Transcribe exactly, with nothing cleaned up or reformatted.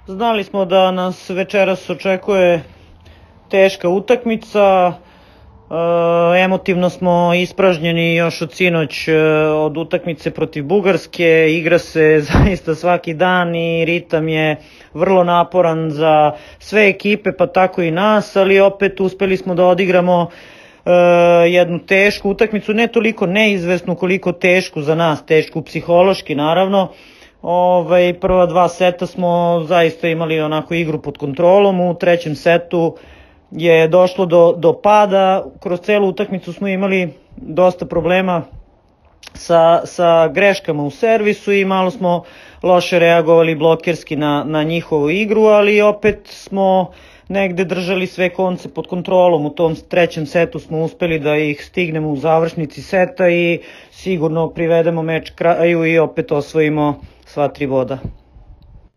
Znali smo da nas večeras očekuje teška utakmica, e, emotivno smo ispražnjeni još od sinoć e, od utakmice protiv Bugarske, igra se zaista svaki dan i ritam je vrlo naporan za sve ekipe pa tako i nas, ali opet uspeli smo da odigramo e, jednu tešku utakmicu, ne toliko neizvesnu koliko tešku za nas, tešku psihološki naravno. Ovaj, prva dva seta smo zaista imali onako igru pod kontrolom, u trećem setu je došlo do, do pada, kroz celu utakmicu smo imali dosta problema sa, sa greškama u servisu i malo smo loše reagovali blokerski na, na njihovu igru, ali opet smo negde držali sve konce pod kontrolom. U tom trećem setu smo uspeli da ih stignemo u završnici seta i sigurno privedemo meč kraju i opet osvojimo sva tri boda.